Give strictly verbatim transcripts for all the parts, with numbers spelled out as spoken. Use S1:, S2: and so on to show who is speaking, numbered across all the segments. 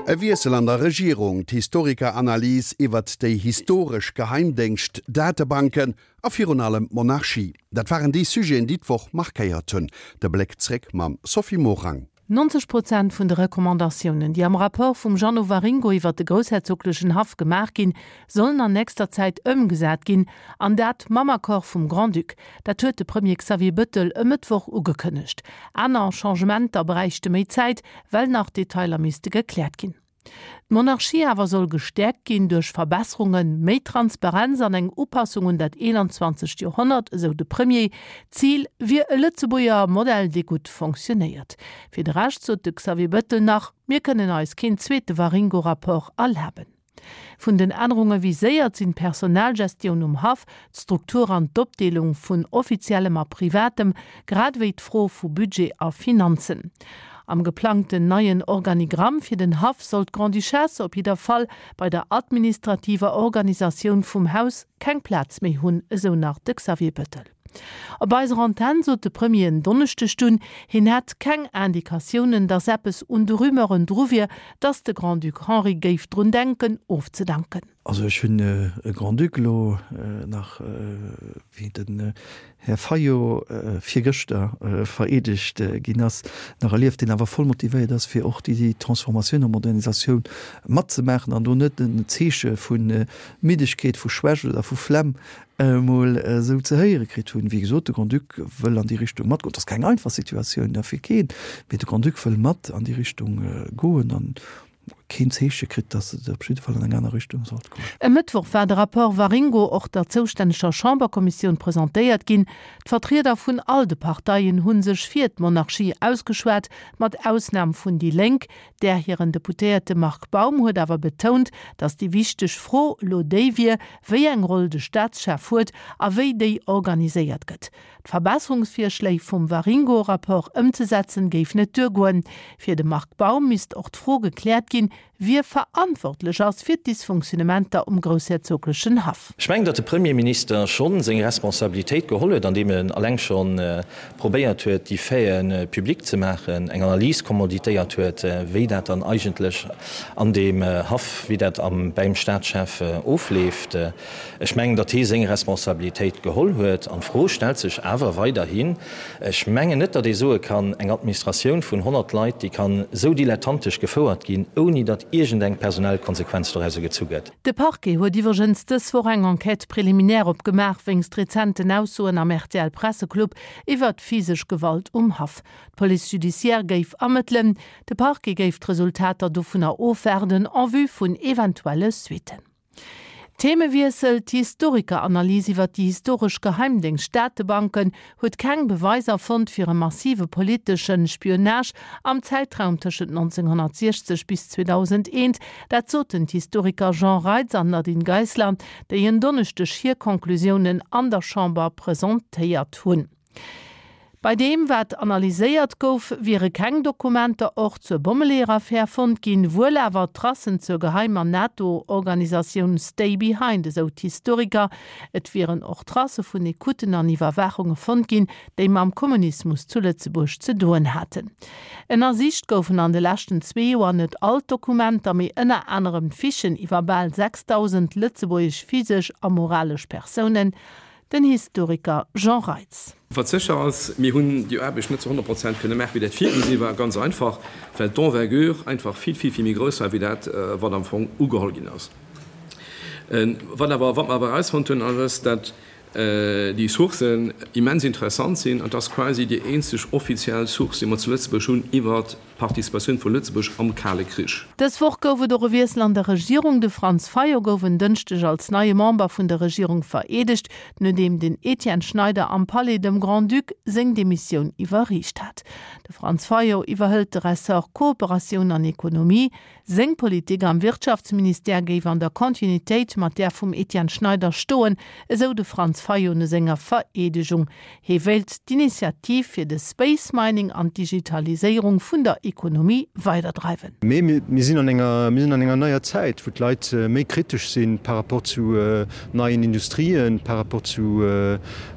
S1: E Wiessel an der Regierung, d'Historiker-Analys iwwert déi historesch Geheimdéngscht-Datebanken a virun allem d'Monarchie, dat waren déi Sujeten, déi d'Woch markéiert hunn. De Bléck zréck mam Sophie Morang.
S2: Nonzeg Prozent vun de Recommandatiounen, déi am Rapport vum Jeannot Waringo iwwert de groussherzoglechen Haff gemaach ginn, sollen an nächster Zäit ëmgesat ginn, an dat mam Accord vum Grand-Duc. Dat huet de Premier Xavier Bettel e Mëttwoch ugekënnegt. Aner Changementer bräichte méi Zäit, well nach Detailer misste gekläert ginn. D'Monarchie awer soll gestäerkt ginn duerch Verbesserungen, méi Transparenz an eng Upassung un dat eenanzwanzegt Joerhonnert, esou de Premier. Zil wier e Lëtzebuerger Modell, dee gutt fonctionéiert. Fir de Rescht sot de Xavier Bettel nach, Mir kënnen eis keen zweete Waringo-Rapport erlaben. Vun den Ännerunge viséiert sinn d'Personalgestioun um Haff, d'Struktur an d'Opdeelung vun Offiziellem a Privatem, grad ewéi d'Fro vu Budget a Finanzen. Am geplangten neien Organigramm fir den Haff soll d'Grande-Duchesse op jidder Fall bei der administrativer Organisatioun vum Haus keng Plaz méi hunn, esou nach de Xavier Bettel. Op eiser Antenn sot de Premier en Donneschdeg dunn, hien hätt keng Indikatiounen, datt eppes un de Rumeuren dru wier, datt de Grand-Duc Henri géif drun denken, ofzedanken.
S3: Also ech hunn e Grand-Duc elo nach, wéi den Här Fayot virgëschter vereedegt ginn ass, nach erlieft, deen awer voll motivéiert ass, fir och déi Transformatioun a Modernisatioun matzemaachen an do net en Zeeche vu Middegkeet, vu Schwächt oder vu Flemm emol esou ze héiere kritt hunn. Wéi gesot, de Grand-Duc wëll an déi Richtung matgoen. Et ass keng einfach Situatioun, fir keen, mee de Grand-Duc wëll mat an déi Richtung goen an keen Zeeche kritt, datt et op jidde Fall an eng aner Richtung sollt goen.
S2: E Mëttwoch war de Rapport Waringo och der zoustänneger Chamberkommissioun presentéiert ginn. D'Vertrieder vun all de Parteien hu sech fir d'Monarchie ausgeschwat, mat Ausnam vun déi Lénk. Där hiren Deputéierte Marc Baum huet awer betount, datt déi wichteg Fro elo déi wier, wéi eng Roll de Staatschef huet a wéi déi organiséiert gëtt. D'Verbesserungsvirschléi vum Waringo-Rapport ëmzesetzen, géif net duergoen. Fir de Marc Baum misst och d'Fro gekläert ginn, wie verantwortlech ass fir d'Dysfunktionnementer um groussherzoglechen Haff.
S4: Ech mengen, datt de Premierminister schonn seng Responsabilitéit geholl huet, andeem en alleng scho probéiert huet, déi Faiten public ze maachen, eng Analys commanditéiert huet, wéi dat dann eigentlech an deem Haff, wéi dat am bäim Staatschef ofleeft. Ech mengen, datt hie seng Responsabilitéit geholl huet. An d'Fro stellt sech awer weiderhin, Ech mengen net, datt ee soe kann, eng Administratioun vun honnert Leit, déi kann esou dilettantesch gefouert ginn, ouni datt iergendeng personell Konsequenz dorauser gezu gëtt.
S2: De Parquet huet iwwregens dës Woch eng Enquête préliminaire opgemaach wéinst rezenten Aussoen am R T L Presseclub iwwert physesch Gewalt um Haff. D'Police judiciaire géif ermëttelen. De Parquet géif d'Resultater dovunner ofwaarden en vue vun eventuelle Suitten. Themewiessel, D'Historiker-Analys iwwer déi historesch Geheimdéngscht-Datebanken huet keng Beweiser fonnt fir e massive politesche Spionage am Zäitraum tëschent nonzénghonnertsiechzeg bis zweedausendeent. Dat soten d'Historiker Jean Reitz an Nadine Geisler, déi en Donneschdeg hir Conclusiounen an der Chamber presentéiert hunn. Bei deem, wat analyséiert gouf, wiere keng Dokumenter och zur Bommeleeër-Affär fonnt ginn, wuel awer Tracen zur geheimer NATO-Organisatioun Stay Behind, esou d'Historiker. Et wieren och Tracë vun Ecouten an Iwwerwaachunge fonnt ginn, déi mam Kommunismus zu Lëtzebuerg ze doen haten. Ënnersicht goufen an de leschten zwee Joer net all d'Dokumenter, mee ënner anerem d'Fichen iwwer bal sechsdausend lëtzebuergesch physesch a moralesch Persounen. Den Historiker Jean Reitz.
S5: Wat sécher ass, mir hunn déi Aarbecht net zu honnert Prozent kënne maachen, wéi dat virgesi war, ganz einfach, well d'Envergure einfach vill, vill, vill méi grouss war wéi dat, wat am Fong ugeholl ginn ass. Wat awer, wat mer awer erausfonnt hunn, ass, datt déi Sourcen immens interessant sinn an dass quasi déi eenzeg offiziell Source, déi mer zu Lëtzebuerg hunn iwwert D'Participatioun vu Lëtzebuerg am Kale Krich.
S2: Dës Woch gouf et och e Wiessel an der Regierung. De Franz Fayot gouf en Dënschdeg als neie Member vun der Regierung vereedegt, nodeem den Etienne Schneider am Palais dem Grand-Duc seng Demissioun iwwerreecht hat. De Franz Fayot iwwerhëlt de Ressort Kooperatioun an Ekonomie. Seng Politik am Wirtschaftsministère géif an der Kontinuitéit mat där vum Etienne Schneider stoen, esou de Franz Fayot no senger Vereedegung. Hie wéilt d'Initiativ fir de Space Mining an d'Digitaliséierung vun der Ekonomie weiderdreiwen.
S6: Mee mir sinn an enger, mir sinn an enger neier Zäit, wou d'Leit méi kritesch sinn par rapport zu neien Industrien, par rapport zu,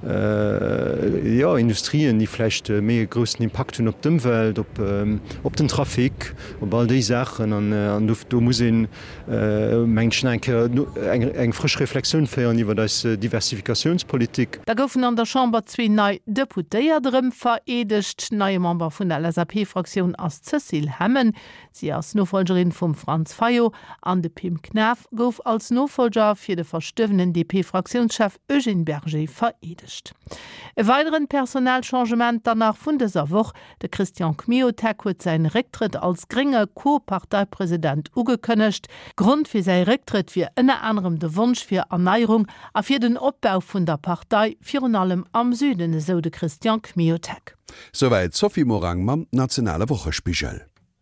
S6: jo, Industrien, déi vläicht méi e groussen Impakt hunn op d'Ëmwelt, op, op den Trafic, op all déi Saachen. An, an do, do muss een, mengen ech, nach eng Kéier eng, eng frësch Reflexioun féieren iwwert eis Diversifikatiounspolitik.
S2: Da goufen an der Chamber zwee nei Deputéiert erëm vereedegt. Neie Member vun der LSAP-Fraktioun ass d'Cécile Hemmen. Si ass Nofollgerin vum Franz Fayot an de Pim Knaff gouf als Nofollger fir de verstuerwenen D P-Fraktiounschef Eugène Berger vereedegt. E weideren Personalchangement dann nach vun dëser Woch, De Christian Kmiotek huet säin Récktrëtt als grénge Co-Parteipresident ugekënnegt. Grond fir säi Récktrëtt wier ënner anerem de Wonsch fir Erneierung a fir den Opbau vun der Partei, virun allem am Süden, esou de Christian Kmiotek.
S1: Souwäit d'Sophie Morang mam nationale Wochespigel.